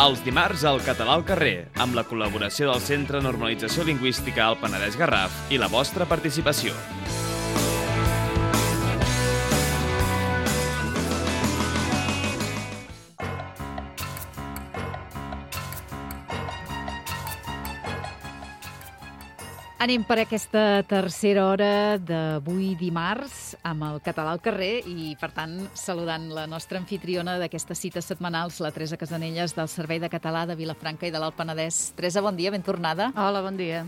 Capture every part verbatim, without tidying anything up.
Els dimarts al Català al carrer, amb la col·laboració del Centre Normalització Lingüística al Penedès Garraf i la vostra participació. Anem per aquesta tercera hora d'avui dimarts amb el Català al carrer i, per tant, saludant la nostra anfitriona d'aquestes cites setmanals, la Teresa Casanelles, del Servei de Català de Vilafranca i de l'Alt Penedès. Teresa, bon dia, ben tornada. Hola, bon dia.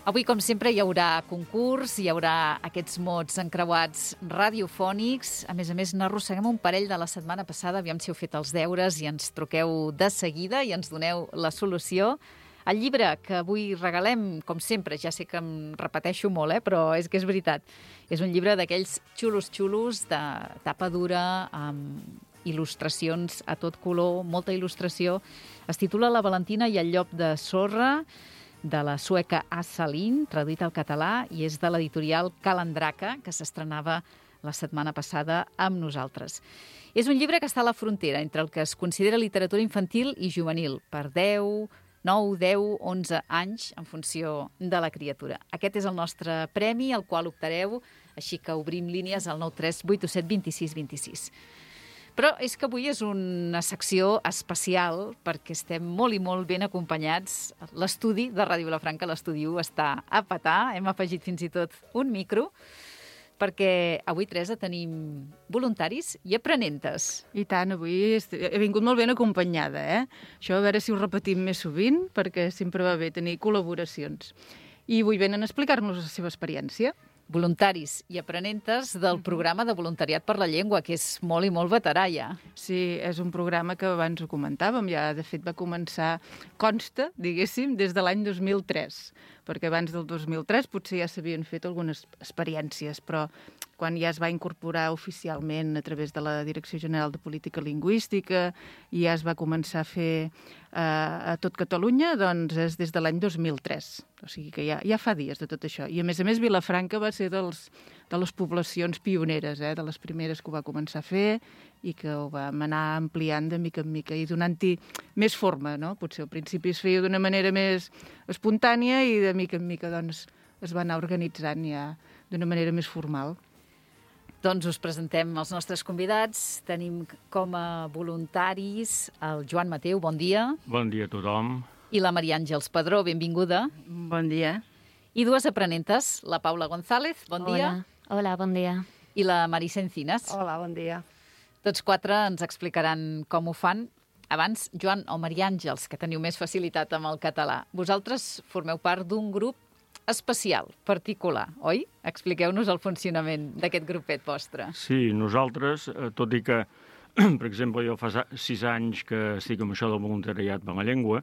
Avui, com sempre, hi haurà concurs, hi haurà aquests mots encreuats radiofònics. A més a més, n'arrosseguem un parell de la setmana passada, aviam si heu fet els deures i ens truqueu de seguida i ens doneu la solució. El llibre que avui regalem, com sempre, ja sé que em repeteixo molt, eh, però és que és veritat. És un llibre d'aquells xulos-xulos, de tapa dura, amb il·lustracions a tot color, molta il·lustració. Es titula La Valentina i el llop de sorra, de la sueca Assa Lind, traduït al català, i és de l'editorial Calandraca, que s'estrenava la setmana passada amb nosaltres. És un llibre que està a la frontera entre el que es considera literatura infantil i juvenil, per deu, nou, deu, onze anys, en funció de la criatura. Aquest és el nostre premi, al qual optareu, així que obrim línies al nou tres vuit set dos sis dos sis. Però és que avui és una secció especial perquè estem molt i molt ben acompanyats. L'estudi de Ràdio Vilafranca, l'estudi u, està a petar. Hem afegit fins i tot un micro, perquè avui, Teresa, tenim voluntaris i aprenentes. I tant, avui he vingut molt ben acompanyada, eh? Això a veure si ho repetim més sovint, perquè sempre va bé tenir col·laboracions. I avui venen a explicar-nos la seva experiència. Voluntaris i aprenentes del programa de voluntariat per la llengua, que és molt i molt veterà ja. Sí, és un programa que abans ho comentàvem, ja de fet va començar, consta, diguéssim, des de l'any dos mil tres, perquè abans del dos mil tres potser ja s'havien fet algunes experiències, però quan ja es va incorporar oficialment a través de la Direcció General de Política Lingüística i ja es va començar a fer eh, a tot Catalunya, doncs és des de l'any dos mil tres. O sigui que ja, ja fa dies de tot això. I a més a més Vilafranca va ser dels, de les poblacions pioneres, eh, de les primeres que ho va començar a fer i que ho vam anar ampliant de mica en mica i donant-hi més forma, no? Potser al principi es feia d'una manera més espontània i de mica en mica doncs, es va anar organitzant ja d'una manera més formal. Doncs us presentem els nostres convidats. Tenim com a voluntaris el Joan Mateu, bon dia. Bon dia a tothom. I la Maria Àngels Padró, benvinguda. Bon dia. I dues aprenentes, la Paula González, bon dia. Hola, Hola bon dia. I la Marisa Encinas. Hola, bon dia. Tots quatre ens explicaran com ho fan. Abans, Joan o Maria Àngels, que teniu més facilitat amb el català. Vosaltres formeu part d'un grup especial, particular, oi? Expliqueu-nos el funcionament d'aquest grupet vostre. Sí, nosaltres, tot i que, per exemple, jo fa sis anys que estic amb això del voluntariat per la llengua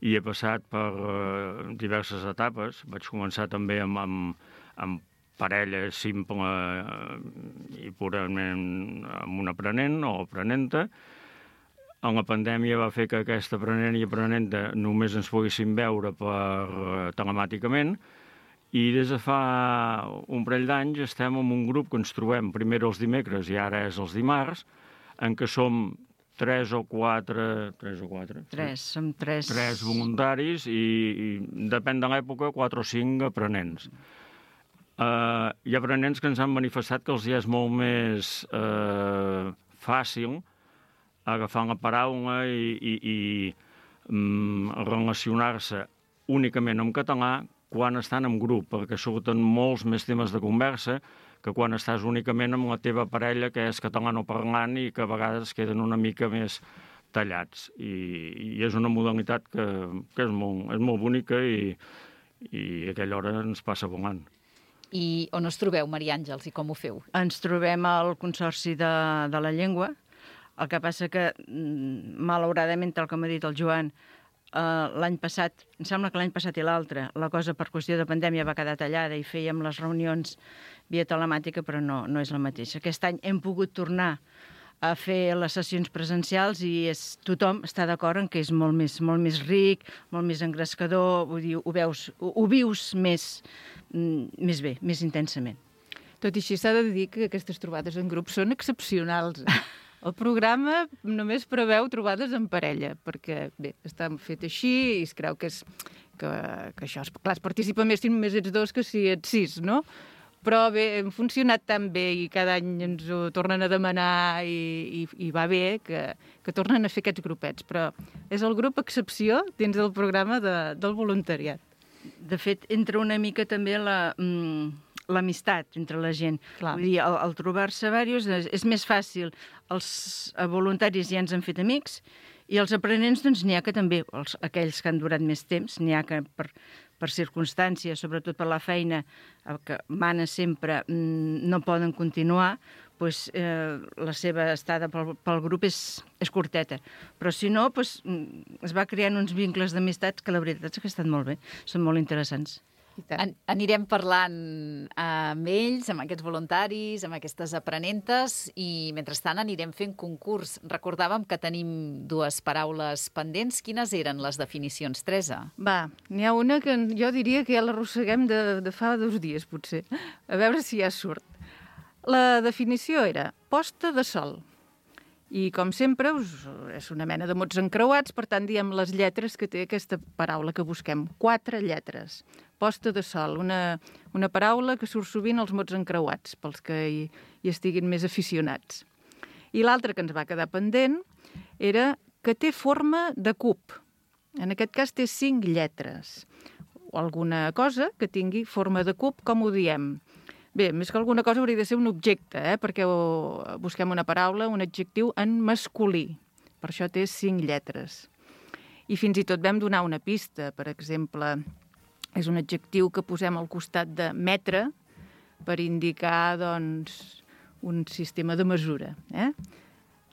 i he passat per uh, diverses etapes. Vaig començar també amb, amb, amb parella simple uh, i purament amb un aprenent o aprenenta. En la pandèmia va fer que aquesta aprenent i aprenenta només ens poguéssim veure per uh, telemàticament i des de fa un parell d'anys estem en un grup que ens trobem primer els dimecres i ara és els dimarts, en què som tres o quatre... Tres o quatre? Tres, sí. Som tres... Tres voluntaris i, i depèn de l'època, quatre o cinc aprenents. Uh, hi ha aprenents que ens han manifestat que els hi és molt més uh, fàcil agafar la paraula i, i, i um, relacionar-se únicament en català quan estan en grup, perquè surten molts més temes de conversa que quan estàs únicament amb la teva parella que és catalanoparlant i que a vegades queden una mica més tallats. I, i és una modalitat que, que és, molt, és molt bonica i, i a aquella hora ens passa volant. I on us trobeu, Maria Àngels, i com ho feu? Ens trobem al Consorci de, de la Llengua. El que passa que, malauradament, tal com ha dit el Joan, Uh, l'any passat, em sembla que l'any passat i l'altre, la cosa per qüestió de pandèmia va quedar tallada i fèiem les reunions via telemàtica, però no, no és la mateixa. Aquest any hem pogut tornar a fer les sessions presencials i és, tothom està d'acord en que és molt més, molt més ric, molt més engrescador, vull dir, ho, veus, ho, ho vius més, més bé, més intensament. Tot i així s'ha de dir que aquestes trobades en grup són excepcionals. El programa només preveu trobades en parella, perquè, bé, està fet així i es creu que, és, que, que això, és, clar, es participa més si només ets dos que si ets sis, no? Però bé, hem funcionat tan bé i cada any ens ho tornen a demanar i, i, i va bé que, que tornen a fer aquests grupets. Però és el grup excepció dins del programa de, del voluntariat. De fet, entra una mica també la, mm, l'amistat entre la gent. Clar. Vull dir, al, al trobar-se diversos és, és més fàcil. Els voluntaris ja ens han fet amics i els aprenents, doncs, n'hi ha que també, els, aquells que han durat més temps, n'hi ha que per... per circumstàncies, sobretot per la feina, que mana sempre, no poden continuar, doncs, eh, la seva estada pel, pel grup és, és curteta. Però si no, doncs, es va creant uns vincles d'amistats que la veritat és que estan molt bé, són molt interessants. An anirem parlant amb ells, amb aquests voluntaris, amb aquestes aprenentes i, mentrestant, anirem fent concurs. Recordàvem que tenim dues paraules pendents. Quines eren les definicions, Teresa? Va, n'hi ha una que jo diria que ja l'arrosseguem de, de fa dos dies, potser. A veure si ja surt. La definició era posta de sol. I, com sempre, us, és una mena de mots encreuats, per tant, diem les lletres que té aquesta paraula que busquem. Quatre lletres. Posta de sol, una, una paraula que surt sovint als mots encreuats, pels que hi, hi estiguin més aficionats. I l'altra que ens va quedar pendent era que té forma de cub. En aquest cas té cinc lletres. O alguna cosa que tingui forma de cub, com ho diem. Bé, més que alguna cosa hauria de ser un objecte, eh? Perquè busquem una paraula, un adjectiu en masculí. Per això té cinc lletres. I fins i tot vam donar una pista, per exemple, és un adjectiu que posem al costat de metre per indicar, doncs, un sistema de mesura, eh?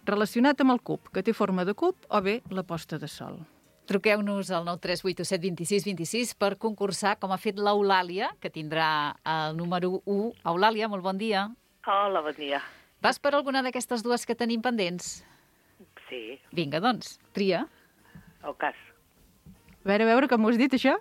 Relacionat amb el cub, que té forma de cub, o bé la posta de sol. Truqueu-nos al nou tres vuit set dos sis dos sis per concursar, com ha fet l'Eulàlia, que tindrà el número u. Eulàlia, molt bon dia. Hola, bon dia. Vas per alguna d'aquestes dues que tenim pendents? Sí. Vinga, doncs, tria. Ocàs. A veure, a veure, com ho has dit, això?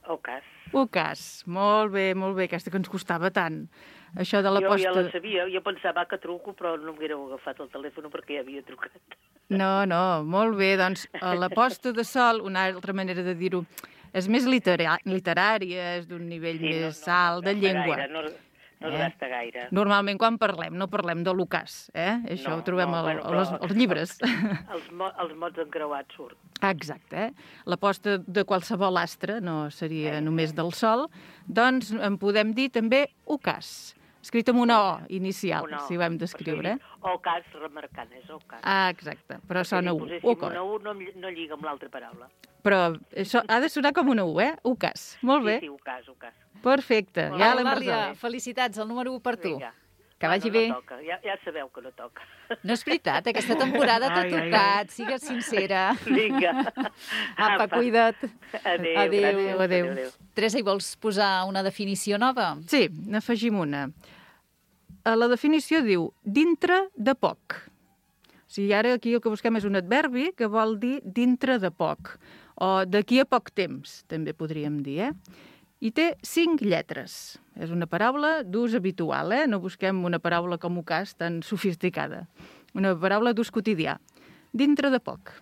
Ocàs. Ocàs. Molt bé, molt bé, aquesta que ens costava tant. Això de la jo posta... ja la sabia, jo pensava que truco, però no m'haguéreu agafat el telèfon perquè ja havia trucat. No, no, molt bé, doncs la posta de sol, una altra manera de dir-ho, és més litera literària, és d'un nivell sí, més no, no, alt de no llengua. Gaire, no, no es eh? gasta gaire. Normalment quan parlem, no parlem de l'ocàs, eh? Això no, ho trobem no, al, bueno, als, als llibres. Els, els, mo, els mots encreuats surt. Exacte, eh? La posta de qualsevol astre, no seria eh, només del sol, doncs en podem dir també ocàs. Escrit amb una O inicial, una o. si ho hem d'escriure. O cas remarcant, és o cas. Ah, exacte, però perquè sona si U. poséssim una U no, no lliga amb l'altra paraula. Però això ha de sonar com una U, eh? Ucas. Molt bé. Sí, sí, Ucas, Ucas. Perfecte, Molt ja bé. l'hem Eulàlia, resolt. felicitats, el número u per tu. Vinga. Que bueno, vagi bé. No toca. Ja, ja sabeu que no toca. No és veritat, aquesta temporada t'ha tocat, sigues sincera. Vinga. Apa, cuida't. Adéu, Adéu, gràcies. adéu. adéu. Teresa, hi vols posar una definició nova? Sí, n'afegim una. La definició diu dintre de poc. O sigui, ara aquí el que busquem és un adverbi que vol dir dintre de poc. O d'aquí a poc temps, també podríem dir, eh? I té cinc lletres. És una paraula d'ús habitual, eh? No busquem una paraula com ocàs tan sofisticada. Una paraula d'ús quotidià. Dintre de poc.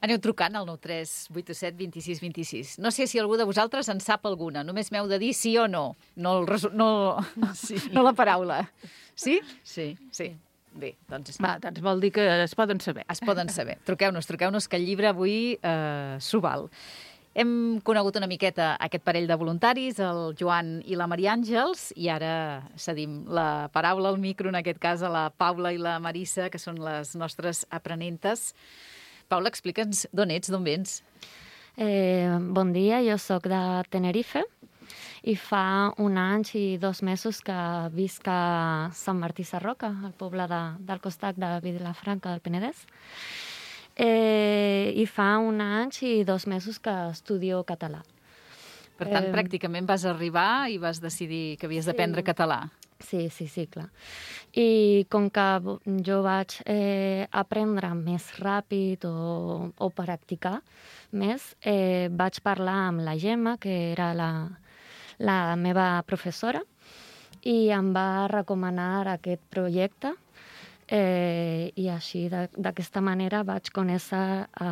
Aneu trucant al nou tres vuit set dos sis dos sis. No sé si algú de vosaltres en sap alguna. Només m'heu de dir sí o no. No, el resu... no... Sí. No la paraula. Sí? Sí. Sí. Bé, doncs... Va, doncs vol dir que es poden saber. Es poden saber. Truqueu-nos, truqueu-nos, que el llibre avui eh, s'ho val. Hem conegut una miqueta aquest parell de voluntaris, el Joan i la Maria Àngels, i ara cedim la paraula al micro, en aquest cas a la Paula i la Marissa, que són les nostres aprenentes. Paula, explica'ns d'on ets, d'on vens. Eh, bon dia, jo sóc de Tenerife i fa un any i dos mesos que visc a Sant Martí Sarroca, al poble de, del costat de Vilafranca del Penedès. Eh, I fa un any i dos mesos que estudio català. Per tant, Eh, pràcticament vas arribar i vas decidir que havies d'aprendre sí. català. Sí, sí, sí, clar. I com que jo vaig eh, aprendre més ràpid o, o practicar més, eh, vaig parlar amb la Gemma, que era la, la meva professora, i em va recomanar aquest projecte. Eh, I i així, de- d'aquesta manera, vaig conèixer a,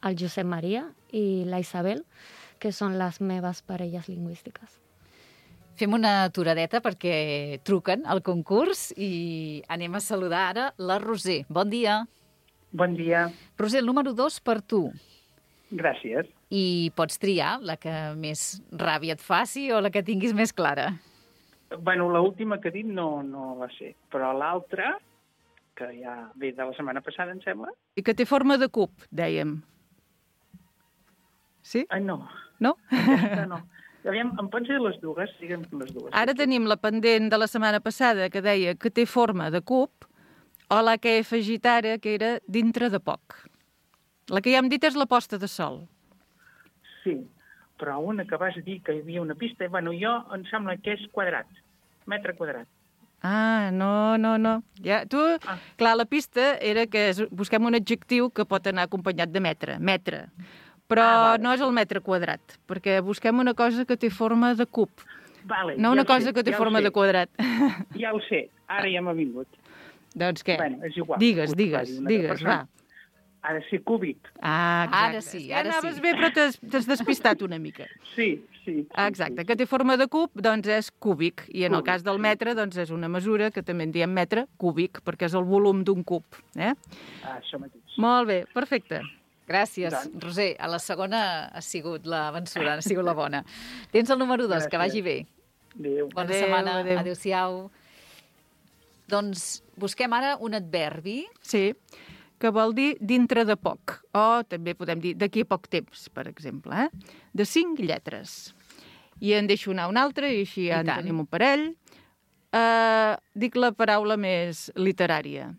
el Josep Maria i la Isabel, que són les meves parelles lingüístiques. Fem una aturadeta perquè truquen al concurs i anem a saludar ara la Roser. Bon dia. Bon dia. Roser, el número dos per tu. Gràcies. I pots triar la que més ràbia et faci o la que tinguis més clara. Bueno, l'última que he dit no, no la sé, però l'altra, que ja ve de la setmana passada, em sembla... I que té forma de cub, dèiem. Sí? Ah, no. No? Aquesta no. Aviam, em pots dir les dues? Digue'm les dues. Ara tenim la pendent de la setmana passada que deia que té forma de cub, o la que he afegit ara, que era dintre de poc. La que ja hem dit és la posta de sol. Sí, però una que vas dir que hi havia una pista, bueno, jo em sembla que és quadrat, metre quadrat. Ah, no, no, no. Ja, tu, ah. Clar, la pista era que és, busquem un adjectiu que pot anar acompanyat de metre, metre. Però ah, vale. No és el metre quadrat, perquè busquem una cosa que té forma de cub. Vale, no una ja cosa sé, que té ja forma de quadrat. Ja ho sé, ara ja m'ha vingut. Doncs què? Bueno, és igual. Digues, digues, digues, va. Ha de ser cúbic. Ah, exacte. Ara sí, ara ja anaves sí. bé, però t'has despistat una mica. Sí, sí. Ah, exacte, que té forma de cub, doncs és cúbic. I en el cas del metre, doncs és una mesura que també en diem metre cúbic, perquè és el volum d'un cub. Eh? Ah, això mateix. Molt bé, perfecte. Gràcies, Doncs. Roser. A la segona ha sigut la vencedora, ha sigut la bona. Tens el número dos, que vagi bé. Adéu. Bona Adéu, setmana. adéu. Adéu-siau. Doncs busquem ara un adverbi. Sí, que vol dir dintre de poc, o també podem dir d'aquí a poc temps, per exemple, eh? De cinc lletres. I en deixo anar un altre, i així ja I en tant. tenim un parell. Uh, dic la paraula més literària.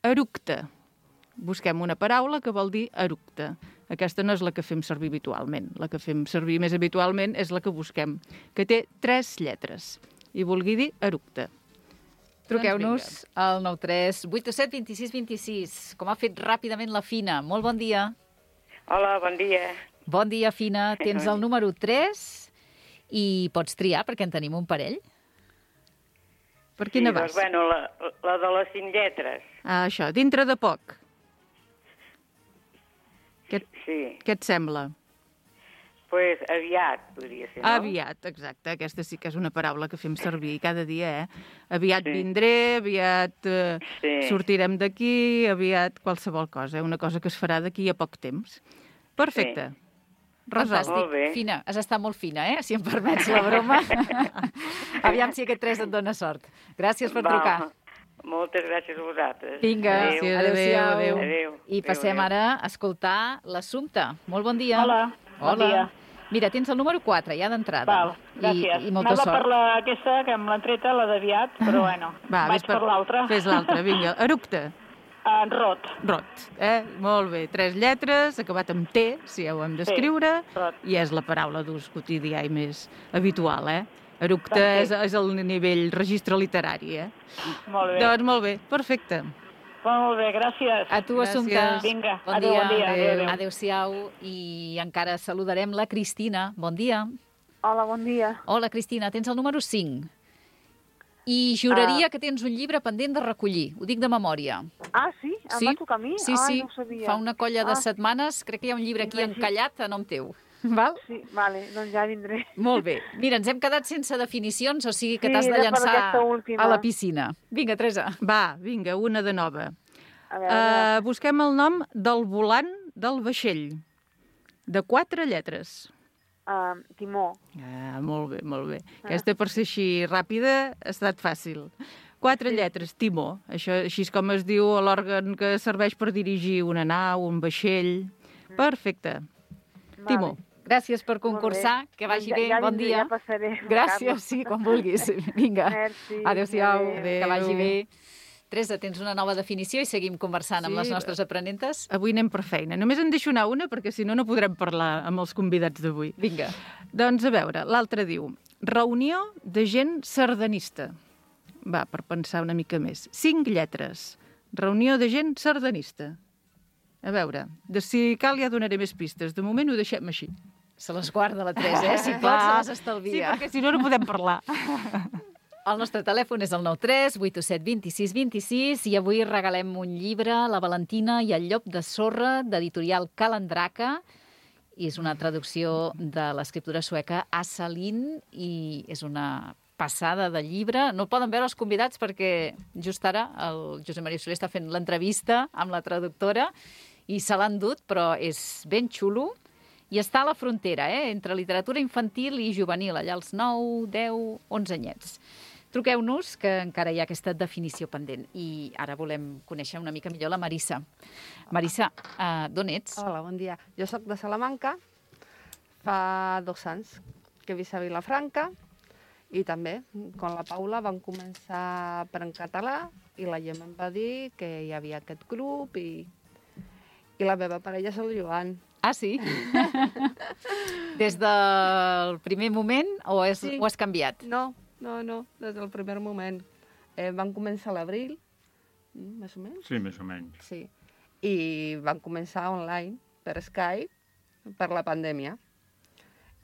Eructe. Busquem una paraula que vol dir eructe. Aquesta no és la que fem servir habitualment. La que fem servir més habitualment és la que busquem, que té tres lletres. I vulgui dir eructe. Truqueu-nos al nou tres vuit set dos sis dos sis, com ha fet ràpidament la Fina. Molt bon dia. Hola, bon dia. Bon dia, Fina. Tens el número tres i pots triar, perquè en tenim un parell. Per quina sí, vas? Doncs, bueno, la, la de les cinc lletres. Ah, això, dintre de poc. Què, Sí, què et sembla? pues aviat, podria ser, no? Aviat, exacte. Aquesta sí que és una paraula que fem servir cada dia, eh? Aviat Sí. vindré, aviat eh, Sí. sortirem d'aquí, aviat qualsevol cosa, eh? Una cosa que es farà d'aquí a poc temps. Perfecte. Sí. Resolt. Molt bé. Fina, has estat molt fina, eh? Si em permets la broma. Aviam si aquest tres et dona sort. Gràcies per Va, trucar. Moltes gràcies a vosaltres. Vinga, Gràcies, adéu-siau. adéu, adéu. I passem Adéu, adéu. ara a escoltar l'Assumpta. Molt bon dia. Hola, bon Hola. dia. Mira, tens el número quatre, ja d'entrada. Val, gràcies. I, i molta Anava sort. per la, aquesta, que em l'han treta, la d'aviat, però bueno, Va, vaig ves per, l'altra. Fes l'altra, vinga. Eructe. En rot. Rot. Eh? Molt bé. Tres lletres, acabat amb T, si ja ho hem d'escriure, rot. i és la paraula d'ús quotidià i més habitual, eh? Eructe és, és el nivell registre literari, eh? Molt bé. Doncs molt bé, perfecte. Molt bé, gràcies. A tu, Assumpta. Gràcies. Vinga, Bon adéu, dia. bon dia. Adéu, adéu. Adéu-siau. I encara saludarem la Cristina. Bon dia. Hola, bon dia. Hola, Cristina. Tens el número cinc. I juraria que tens un llibre pendent de recollir. Ho dic de memòria. Ah, sí? Em va tocar a mi? Sí, Ai, sí. no ho sabia. Fa una colla de Ah. setmanes. Crec que hi ha un llibre aquí Vagi. encallat a nom teu. Val? Sí, vale, doncs ja vindré. Molt bé. Mira, ens hem quedat sense definicions, o sigui que Sí, t'has de era per llançar aquesta última. a la piscina. Vinga, Teresa. Va, vinga, una de nova. A veure, Uh, busquem el nom del volant del vaixell, de quatre lletres. uh, Timó. Ah, molt bé, molt bé. Aquesta, per ser així ràpida, ha estat fàcil. Quatre lletres, timó. Això, així és com es diu l'òrgan que serveix per dirigir una nau, un vaixell. Perfecte. Timó. Vale. Gràcies per concursar, que vagi Ja- bé, ja bon vindré, dia. ja passaré. Gràcies, sí, quan vulguis. Vinga, Merci. adéu-siau, Adéu. que vagi bé. Teresa, tens una nova definició i seguim conversant amb Sí, les nostres aprenentes? Avui anem per feina. Només en deixo anar una, perquè si no, no podrem parlar amb els convidats d'avui. Vinga. Doncs a veure, l'altre diu, reunió de gent sardanista. Va, per pensar una mica més. Cinc lletres. Reunió de gent sardanista. A veure, de si cal ja donaré més pistes. De moment ho deixem així. Se les guarda la Teresa, eh? Si pot, se les estalvia. Sí, perquè si no, no podem parlar. El nostre telèfon és el nou tres vuit set dos sis dos sis i avui regalem un llibre, La Valentina i el llop de sorra, d'editorial Calandraca. I és una traducció de l'escriptora sueca Asa Lind i és una passada de llibre. No poden veure els convidats perquè just ara el Josep Maria Soler està fent l'entrevista amb la traductora i se l'han dut, però és ben xulo. I està a la frontera, eh? Entre literatura infantil i juvenil, allà als nou, deu, onze anyets. Truqueu-nos, que encara hi ha aquesta definició pendent. I ara volem conèixer una mica millor la Marissa. Marissa, uh, d'on ets? Hola, bon dia. Jo sóc de Salamanca. Fa dos anys que he vist a Vilafranca i també, com la Paula, vam començar per en català i la Gemma em va dir que hi havia aquest grup i, i la meva parella és el Joan. Ah, sí? Des del primer moment o, és, sí. o has canviat? No, no, no, des del primer moment. Eh, van començar a l'abril, més o menys? Sí, més o menys. Sí, i van començar online, per Skype, per la pandèmia.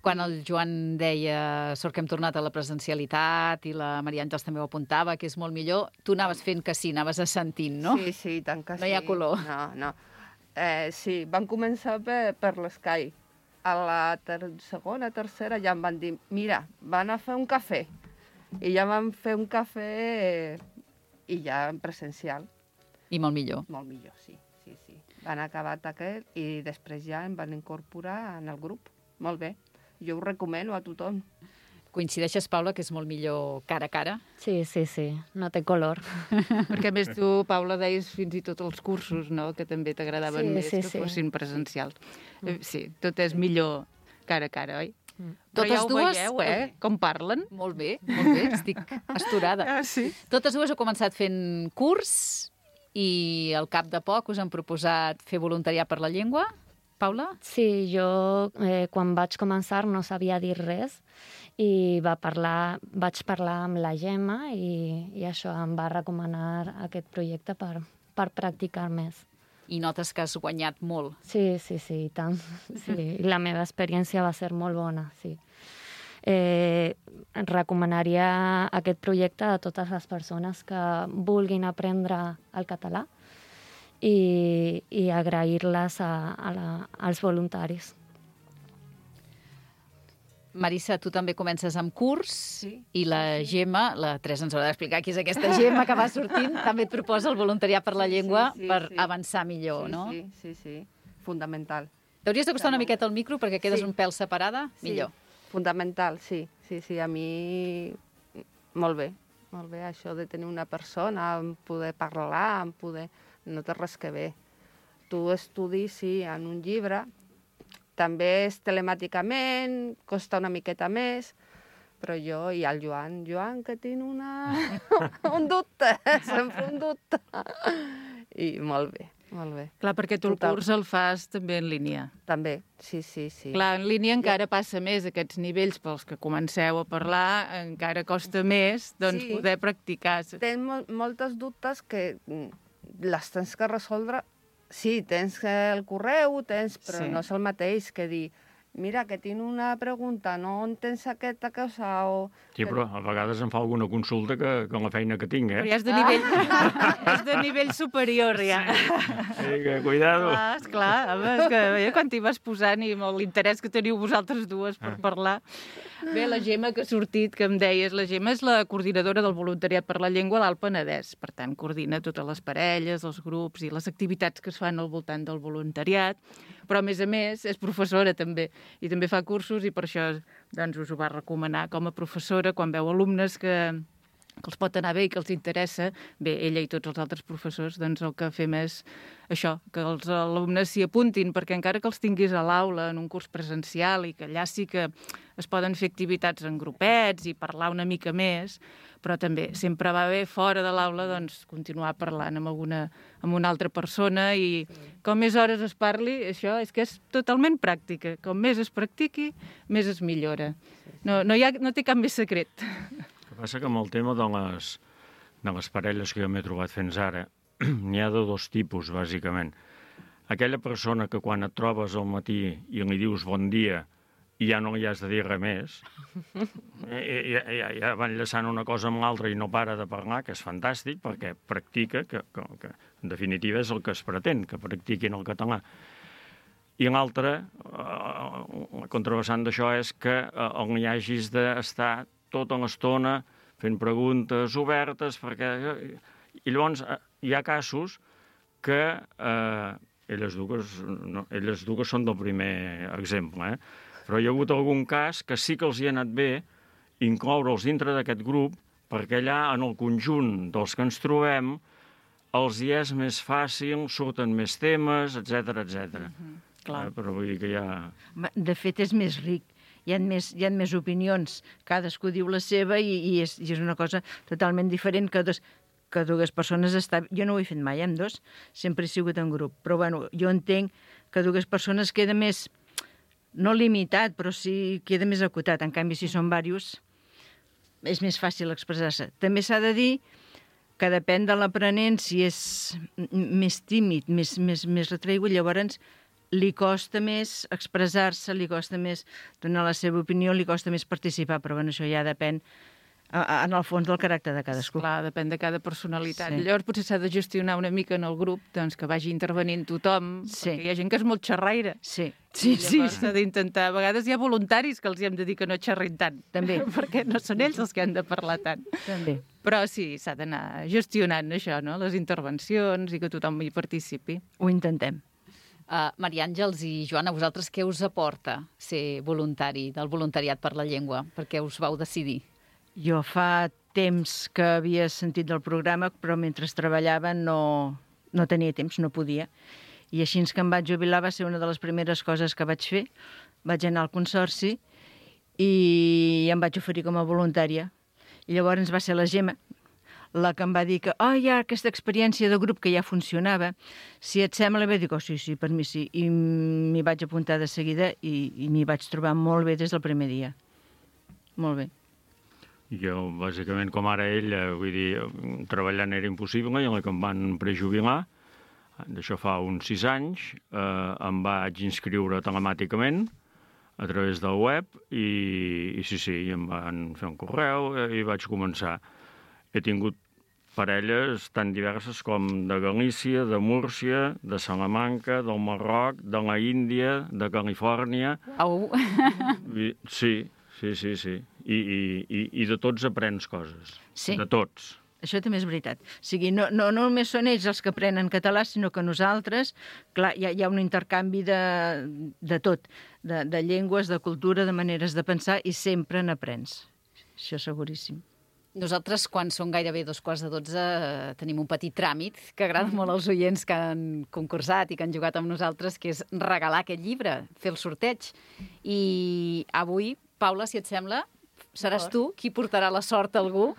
Quan el Joan deia sort que hem tornat a la presencialitat i la Maria Àngels també ho apuntava, que és molt millor, tu anaves fent que sí, anaves assentint, no? Sí, sí, tant que sí. No hi ha color. No, no. Eh, sí, van començar per, per l'Sky. A la ter segona, tercera ja em van dir, mira, van a fer un cafè. I ja van fer un cafè eh, i ja en presencial. I molt millor. Molt millor, sí, sí, sí. Van acabar aquest i després ja em van incorporar en el grup. Molt bé. Jo ho recomano a tothom. Coincideixes, Paula, que és molt millor cara a cara? Sí, sí, sí, no té color. Perquè a més tu, Paula, deies fins i tot els cursos, no?, que també t'agradaven sí, més sí, que sí. fossin presencials. Mm. Sí, tot és millor cara a cara, oi? Mm. Però Totes ja ho dues... veieu, eh?, com parlen. Molt bé, molt bé, estic astorada. Ah, sí? Totes dues heu començat fent curs i al cap de poc us han proposat fer voluntariat per la llengua. Paula? Sí, jo eh, quan vaig començar no sabia dir res i va parlar, vaig parlar amb la Gemma i, i això em va recomanar aquest projecte per, per practicar més. I notes que has guanyat molt. Sí, sí, sí, i tant. Sí. I la meva experiència va ser molt bona, sí. Eh, recomanaria aquest projecte a totes les persones que vulguin aprendre el català i, i agrair-les a, a la, als voluntaris. Marissa, tu també comences amb curs sí, i la sí. Gemma, la Teresa ens haurà d'explicar qui és aquesta Gemma que va sortint, també et proposa el voluntariat per la llengua sí, sí, per sí. avançar millor, sí, no? Sí, sí, sí, fundamental. T'hauries d'acostar una miqueta al micro perquè quedes sí. un pèl separada? Sí. Millor. Fundamental, sí, sí, sí, a mi molt bé, molt bé això de tenir una persona, en poder parlar, en poder... No té res que bé. Tu estudis, sí, en un llibre, també és telemàticament, costa una miqueta més, però jo i el Joan, Joan, que tinc una... un dubte, sempre un dubte. I molt bé, molt bé. Clar, perquè tu el Total. curs el fas també en línia. També, sí, sí, sí. Clar, en línia encara passa més aquests nivells pels que comenceu a parlar, encara costa més doncs, Sí. poder practicar. Tens mol moltes dubtes que les tens que resoldre. Sí, tens el correu, tens, però Sí. no és el mateix que dir mira, que tinc una pregunta, no entens aquesta cosa o... Sí, però a vegades em fa alguna consulta que, que la feina que tinc, eh? Però ja és de nivell, ah. és de nivell superior, ja. Sí, que cuidado. Clar, esclar, home, és que eh, quan t'hi vas posant i amb l'interès que teniu vosaltres dues per parlar... Bé, la Gemma que ha sortit, que em deies, la Gemma és la coordinadora del voluntariat per la llengua a l'Alt Penedès. Per tant, coordina totes les parelles, els grups i les activitats que es fan al voltant del voluntariat. Però, a més a més, és professora també. I també fa cursos i per això doncs, us ho va recomanar com a professora quan veu alumnes que, que els pot anar bé i que els interessa. Bé, ella i tots els altres professors, doncs el que fem és això, que els alumnes s'hi apuntin, perquè encara que els tinguis a l'aula en un curs presencial i que allà sí que es poden fer activitats en grupets i parlar una mica més, però també sempre va bé fora de l'aula doncs, continuar parlant amb, alguna, amb una altra persona i com més hores es parli, això és que és totalment pràctica. Com més es practiqui, més es millora. No, no, hi ha, no té cap més secret. El que passa que amb el tema de les, de les parelles que jo m'he trobat fins ara, n'hi ha de dos tipus, bàsicament. Aquella persona que quan et trobes al matí i li dius bon dia i ja no li has de dir res més. I, ja, ja, ja van llaçant una cosa amb l'altra i no para de parlar, que és fantàstic, perquè practica, que, que, que en definitiva és el que es pretén, que practiquin el català. I l'altre, la contravessant d'això, és que on hi hagis d'estar tota l'estona fent preguntes obertes, perquè... I llavors hi ha casos que eh, elles dues, no, elles dues són del primer exemple, eh? Però hi ha hagut algun cas que sí que els hi ha anat bé incloure'ls dintre d'aquest grup, perquè allà, en el conjunt dels que ens trobem, els hi és més fàcil, surten més temes, etcètera, etcètera. Mm-hmm, clar. Eh, però vull dir que hi ha... De fet, és més ric. Hi ha més, hi ha més opinions. Cadascú diu la seva i, i, és, i és una cosa totalment diferent que dos, que dues persones estan... Jo no ho he fet mai amb dos, sempre he sigut en grup. Però bueno, jo entenc que dues persones queda més... no limitat, però sí queda més acotat. En canvi, si són diversos, és més fàcil expressar-se. També s'ha de dir que depèn de l'aprenent, si és més tímid, més, més, més retraigut, llavors li costa més expressar-se, li costa més donar la seva opinió, li costa més participar, però bueno, això ja depèn en el fons del caràcter de cadascú. Clar, depèn de cada personalitat. Sí. Llavors potser s'ha de gestionar una mica en el grup, doncs que vagi intervenint tothom, sí. Perquè hi ha gent que és molt xerraire. Sí, sí, I sí. llavors s'ha d'intentar... A vegades hi ha voluntaris que els hi hem de dir que no xerrin tant. També. Perquè no són ells els que han de parlar tant. També. Però sí, s'ha d'anar gestionant això, no? Les intervencions i que tothom hi participi. Ho intentem. Uh, Maria Àngels i Joana, vosaltres què us aporta ser voluntari del voluntariat per la llengua? Per què us vau decidir? Jo fa temps que havia sentit del programa, però mentre treballava no, no tenia temps, no podia. I així que em vaig jubilar va ser una de les primeres coses que vaig fer. Vaig anar al Consorci i em vaig oferir com a voluntària. I llavors va ser la Gemma la que em va dir que oh, hi ha aquesta experiència de grup que ja funcionava. Si et sembla bé, dic, oh, sí, sí, per mi sí. I m'hi vaig apuntar de seguida i, i m'hi vaig trobar molt bé des del primer dia. Molt bé. Jo, bàsicament, com ara ell, vull dir, treballant era impossible, i a la que em van prejubilar, d'això fa uns sis anys, eh, em vaig inscriure telemàticament a través del web i, i sí, sí, em van fer un correu i vaig començar. He tingut parelles tan diverses com de Galícia, de Múrcia, de Salamanca, del Marroc, de la Índia, de Califòrnia... Au! Sí, sí, sí, sí. I, i, i de tots aprens coses. Sí. De tots. Això també és veritat. O sigui, no, no, no només són ells els que aprenen català, sinó que nosaltres, clar, hi ha, hi ha un intercanvi de, de tot, de, de llengües, de cultura, de maneres de pensar, i sempre n'aprens. Això seguríssim. Nosaltres, quan són gairebé dos quarts de dotze, tenim un petit tràmit que agrada molt als oients que han concursat i que han jugat amb nosaltres, que és regalar aquest llibre, fer el sorteig. I avui, Paula, si et sembla, seràs tu qui portarà la sort a algú.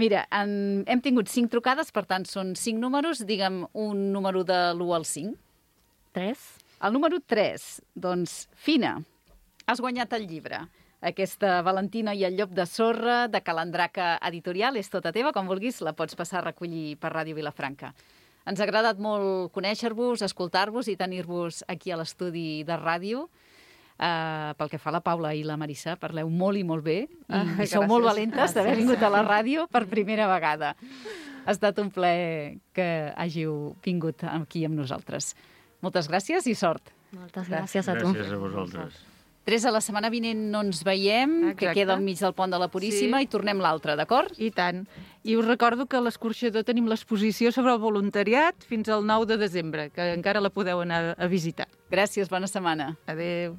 Mira, en, hem tingut cinc trucades, per tant, són cinc números. Digue'm un número de l'u al cinc. Tres. El número tres. Doncs, Fina, has guanyat el llibre. Aquesta Valentina i el llop de sorra, de Calandraca Editorial, és tota teva. Com vulguis, la pots passar a recollir per Ràdio Vilafranca. Ens ha agradat molt conèixer-vos, escoltar-vos i tenir-vos aquí a l'estudi de ràdio. Uh, pel que fa a la Paula i la Marissa, parleu molt i molt bé i, ah, i sou molt valentes d'haver vingut a la ràdio per primera vegada. Ha estat un plaer que hàgiu vingut aquí amb nosaltres. Moltes gràcies i sort. Moltes gràcies a tu. Gràcies a vosaltres. Teresa, la setmana vinent no ens veiem, Exacte. que queda al mig del pont de la Puríssima, sí. I tornem l'altre, d'acord? I tant. I us recordo que a l'Escorxador tenim l'exposició sobre el voluntariat fins al nou de desembre, que encara la podeu anar a visitar. Gràcies, bona setmana. Adéu.